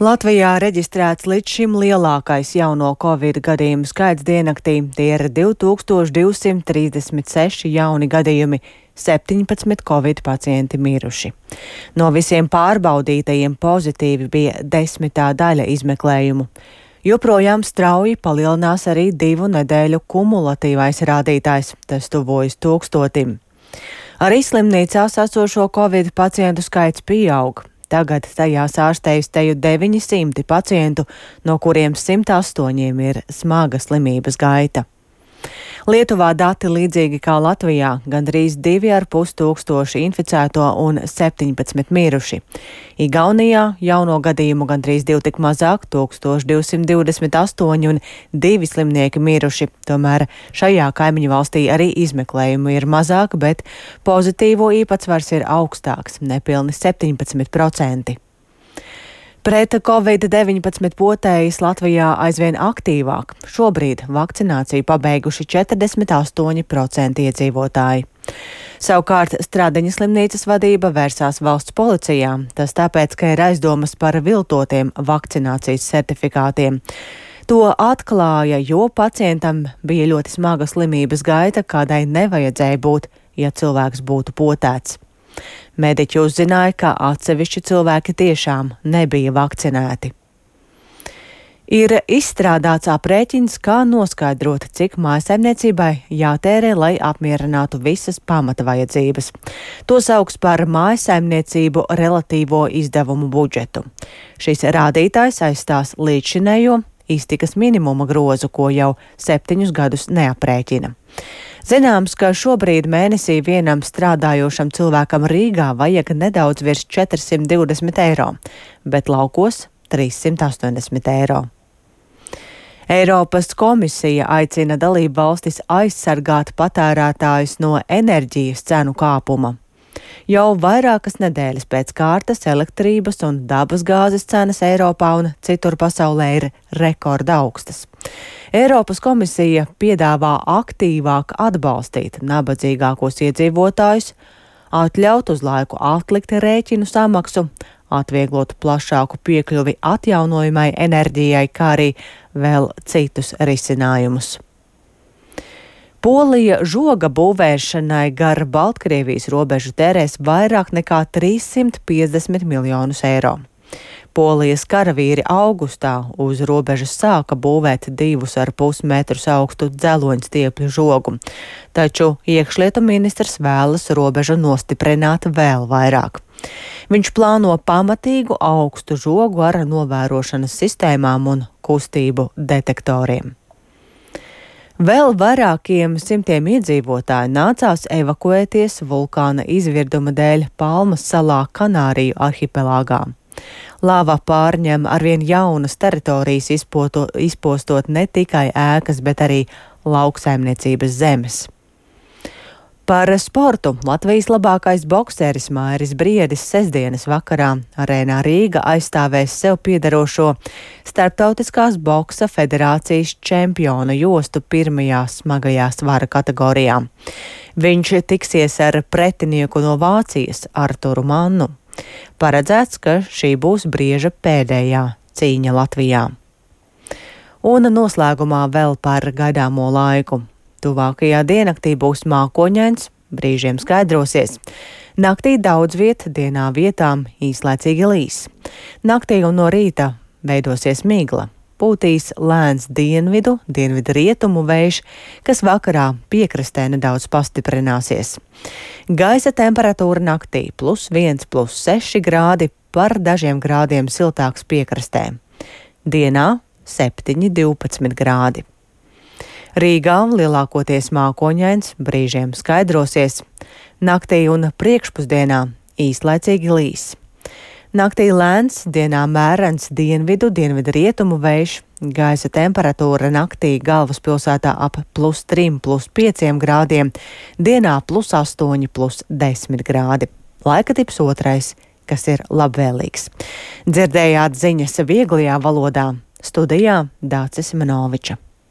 Latvijā reģistrēts līdz šim lielākais jauno covid gadījumu skaits diennaktī. Tie ir 2236 jauni gadījumi, 17 covid pacienti miruši. No visiem pārbaudītajiem pozitīvi bija 10. daļa izmeklējumu. Joprojām strauji palielinās arī 2 nedēļu kumulatīvais rādītājs, tas tuvojas 1000. Arī slimnīcās esošo covid pacientu skaits pieaug. Tagad tajās ārstējas teju 900 pacientu, no kuriem 108 ir smaga slimības gaita. Lietuvā dati līdzīgi kā Latvijā - gandrīz 2500 inficēto un 17 miruši. Igaunijā jauno gadījumu gandrīz 2 tik mazāk - 1228 un 2 slimnieki miruši. Tomēr šajā kaimiņu valstī arī izmeklējumu ir mazāk, bet pozitīvo īpatsvars ir augstāks - nepilni 17%. Pret Covid-19 potējas Latvijā aizvien aktīvāk. Šobrīd vakcināciju pabeiguši 48% iedzīvotāji. Savukārt Stradiņa slimnīcas vadība vērsās valsts policijā. Tas tāpēc, ka ir aizdomas par viltotiem vakcinācijas certifikātiem. To atklāja, jo pacientam bija ļoti smaga slimības gaita, kādai nevajadzēja būt, ja cilvēks būtu potēts. Mediķi uzzināja, ka atsevišķi cilvēki tiešām nebija vakcinēti. Ir izstrādāts aprēķins, kā noskaidrot, cik mājasaimniecībai jātērē, lai apmierinātu visas pamata vajadzības. To sauks par mājasaimniecību relatīvo izdevumu budžetu. Šis rādītājs aizstās līdzšinējo iztikas minimuma grozu, ko jau 7 gadus neaprēķina. Zināms, ka šobrīd mēnesī vienam strādājošam cilvēkam Rīgā vajag nedaudz virs 420 eiro, bet laukos 380 eiro. Eiropas komisija aicina dalību valstis aizsargāt patērētājus no enerģijas cenu kāpuma. Jau vairākas nedēļas pēc kārtas elektrības un dabasgāzes cenas Eiropā un citur pasaulē ir rekorda augstas. Eiropas komisija piedāvā aktīvāk atbalstīt nabadzīgākos iedzīvotājus, atļaut uz laiku atlikt rēķinu samaksu, atvieglot plašāku piekļuvi atjaunojamai enerģijai, kā arī vēl citus risinājumus. Polija žoga būvēšanai gar Baltkrievijas robežu tērēs vairāk nekā 350 miljonus eiro. Polijas karavīri augustā uz robežas sāka būvēt 2,5 metrus augstu dzeloņstiepļu žogu, taču iekšlietu ministrs vēlas robežu nostiprināt vēl vairāk. Viņš plāno pamatīgu augstu žogu ar novērošanas sistēmām un kustību detektoriem. Vēl vairākiem simtiem iedzīvotāju nācās evakuēties vulkāna izvirduma dēļ Palmas salā Kanāriju arhipelāgā. Lava pārņem arvien jaunas teritorijas, izpostot ne tikai ēkas, bet arī lauksaimniecības zemes. Par sportu Latvijas labākais bokseris Mairis Briedis sestdienas vakarā Arēnā Rīga aizstāvēs sev piederošo Starptautiskās boksa federācijas čempiona jostu pirmajā smagajā svara kategorijā. Viņš tiksies ar pretinieku no Vācijas Arturu Mannu. Paredzēts, ka šī būs Brieža pēdējā cīņa Latvijā. Un noslēgumā vēl par gaidāmo laiku. Tuvākajā diennaktī būs mākoņains, brīžiem skaidrosies. Naktī daudz viet, dienā vietām īslaicīgi līs. Naktī un no rīta veidosies migla. Pūtīs lēns dienvidu rietumu vējš, kas vakarā piekrastē nedaudz pastiprināsies. Gaisa temperatūra naktī +1, +6 grādi, par dažiem grādiem siltāks piekrastē. Dienā 7, 12 grādi. Rīgā lielākoties mākoņains, brīžiem skaidrosies. Naktī un priekšpusdienā īslaicīgi līs. Naktī lēns, dienā mērens dienvidu rietumu vējš. Gaisa temperatūra naktī galvaspilsētā ap +3, +5 grādiem, dienā +8, +10 grādi. Laika tips otrais, kas ir labvēlīgs. Dzirdējāt ziņas vieglajā valodā. Studijā Dācis Manoviča.